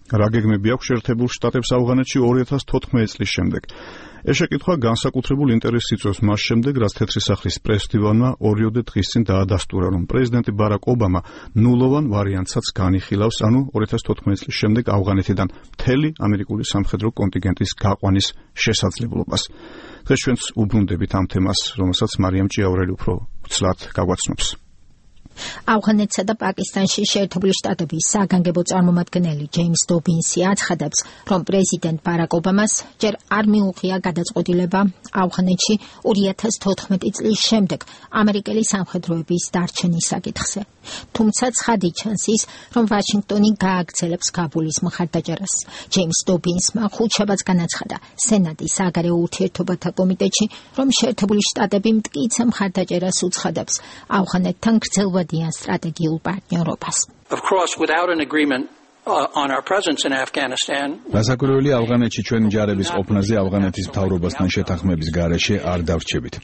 რა გეგმები აქვს შეერთებულ შტატებს ავღანეთში 2014 წლის შემდეგ. ეს შეკითხვა განსაკუთრებულ ინტერესს იწვევს მას შემდეგ, რაც თეთრი სახლის პრეს-დივანმა 2 დღის წინ დაადასტურა, რომ პრეზიდენტი ბარაკ ობამა ნულოვან ვარიანტსაც განიხილავს, ანუ 2014 წლის შემდეგ ავღანეთიდან მთელი ამერიკული სამხედრო კონტინგენტის გაყვანის შესაძლებლობას. დღეს ჩვენც უბრუნდებით ამ თემას, რომელსაც მარიამ ჭიაურელი უფრო ცლად გაგვაცნობს. ავღანეთსა და პაკისტანში შეერთებული შტატების საგანგებო წარმომადგენელი ჯეიმს დობინსი აცხადებს, რომ პრეზიდენტ ბარაკ ობამას ჯერ არ მიუღია გადაწყვეტილება ავღანეთში 2014 წლის შემდეგ ამერიკელი სამხედროების დარჩენის საკითხზე. თუმცა ცხადი ჩანს ის, რომ ვაშინგტონი გააგრძელებს კაბულის მხარდაჭერას. ჯეიმს დობინსმა ხუთშაბათს განაცხადა სენატის საგარეო ურთიერთობათა კომიტეტში, რომ შეერთებული შტატები მტკიცე მხარდაჭერას უცხადებს ავღანეთთან გრძელვადიან სტრატეგიულ პარტნიორობას. Of course, without an agreement on our presence in Afghanistan. Გასაკვირველი ავღანეთში ჩვენი ჯარების ყოფნაზე ავღანეთის მთავრობასთან შეთანხმების გარეშე არ დავრჩებით.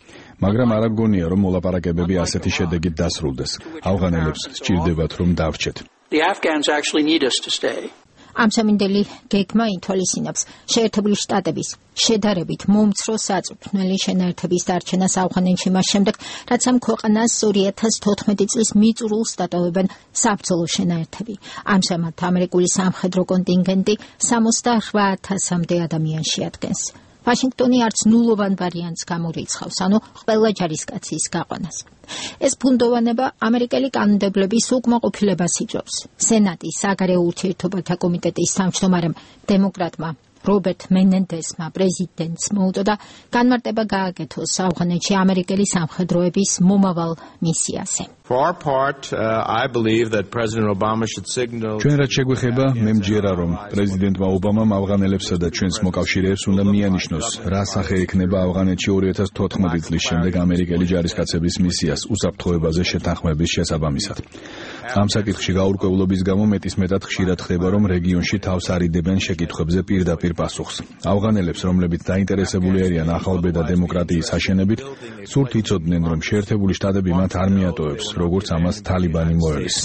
მაგრამ არ გონია, რომ მოლაპარაკებები ასეთი შედეგით დასრულდეს. ავღანელებს სჭირდებათ, რომ დავრჩეთ. The Afghans actually need us to stay. ამ სამინდელი გეგმა ითვალისწინებს შეერთებული შტატების შედარებით მომცრო საწვრთნელი შენაერთების დარჩენას ავღანეთში მას შემდეგ, რაც ამ ქვეყანას 2014 წლის მიწურულს დატოვებენ საბრძოლო შენაერთები. ამჟამად ამერიკული სამხედრო კონტინგენტი 68,000-მდე ადამიანს შეადგენს. ვაშინგტონი არც ნულოვან ვარიანტს გამორიცხავს, ანუ ყველა ჯარისკაცის გაყვანას. ეს ფუნდოვანება ამერიკელი კანონმდებლობის უკმაყოფილებას იწვევს. სენატის საგარეო ურთიერთობათა კომიტეტის თავმჯდომარემ დემოკრატმა რობერტ მენენდესმა პრეზიდენტს მოუწოდა განმარტება გააკეთოს ავღანეთში ამერიკელი სამხედროების მომავალ მისიაზე. ჩვენ რაც შეგვეხება, მე მჯერა, რომ პრეზიდენტმა ობამამ ავღანელებსა და ჩვენს მოკავშირეებს უნდა მიანიშნოს, რა სახე ექნება ავღანეთში 2014 წლის შემდეგ ამერიკელი ჯარისკაცების მისიას უსაფრთხოებაზე შეთანხმების შესაბამისად. ამ საკითხში გაურკვევლობის გამო მეტისმეტად ხშირად ხდება, რომ რეგიონში თავს არიდებენ შეკითხვებზე პირდაპირ პასუხს. ავღანელებს, რომლებიც დაინტერესებული არიან ახალბედა დემოკრატიის აშენებით, სურთ იცოდნენ, რომ შეერთებული შტატები მათ არ მიატოვებს, როგორც ამას თალიბანი მოელის.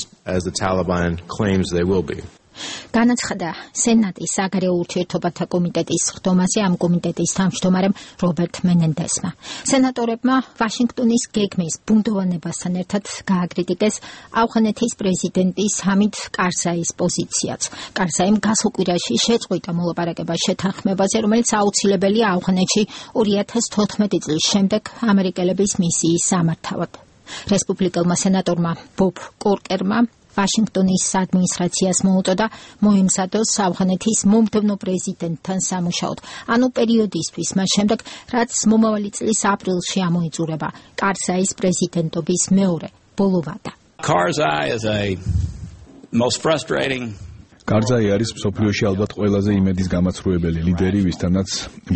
განაცხადა სენატის საგარეო ურთიერთობათა კომიტეტის სხდომაზე ამ კომიტეტის თავმჯდომარემ რობერტ მენენდესმა. სენატორებმა ვაშინგტონის გეგმის ბუნდოვანებასთან ერთად გააკრიტიკეს ავღანეთის პრეზიდენტის ჰამიდ კარზაის პოზიციაც. კარზაიმ გასულ კვირაში შეწყვიტა მოლაპარაკება შეთანხმებაზე, რომელიც აუცილებელია ავღანეთში 2014 წლის შემდეგ ამერიკელების მისიის სამართავად. რესპუბლიკელმა სენატორმა ბობ კორკერმა ვაშინგტონის ადმინისტრაციას მოუწოდა მოემზადოს ავღანეთის მომდევნო პრეზიდენტთან სამუშაოდ, ანუ პერიოდისთვის მას შემდეგ, რაც მომავალი წლის აპრილში ამოიწურება კარზაის პრეზიდენტობის მეორე ბოლო ვადა. კარზაი არის მსოფლიოში ალბათ ყველაზე იმედის გამაცრუებელი ლიდერი, ვისთანაც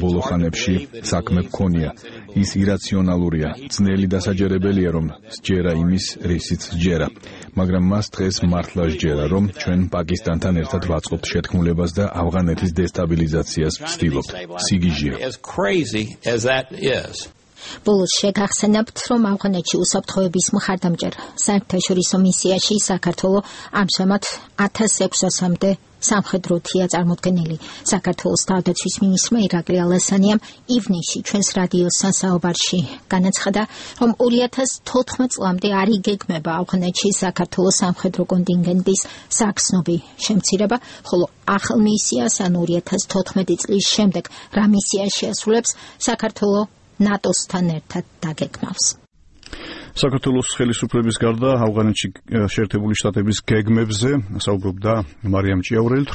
ბოლო ხანებში საქმე ჰქონია. ის ირაციონალურია, ძნელი დასაჯერებელია, რომ სჯერა იმის, რისიც სჯერა. მაგრამ მას დღეს მართლა სჯერა, რომ ჩვენ პაკისტანთან ერთად ვაწყობთ შეთქმულებას და ავღანეთის დესტაბილიზაციას ვცდილობთ. სიგიჟია. ბოლოს შეგახსენებთ, რომ ავღანეთში უსაფრთხოების მხარდამჭერ საერთაშორისო მისიაში საქართველოს ამჟამად 1600-მდე სამხედროთია წარმოდგენილი. საქართველოს თავდაცვის მინისტრმა ირაკლი ალასანიამ ივნისში ჩვენს რადიოსთან საუბარში განაცხადა, რომ 2014 წლამდე არ იგეგმება ავღანეთში საქართველოს სამხედრო კონტინგენტის საგრძნობი შემცირება, ხოლო ახალ მისიას, ანუ 2014 წლის შემდეგ რა მისია შეასრულებს, საქართველოს ნატოსთან ერთად დაგეგმავს. საქართველოს ხელისუფლების გარდა ავღანეთში შეერთებული შტატების გეგმებზე საუბრობდა მარიამ ჭიაურელი.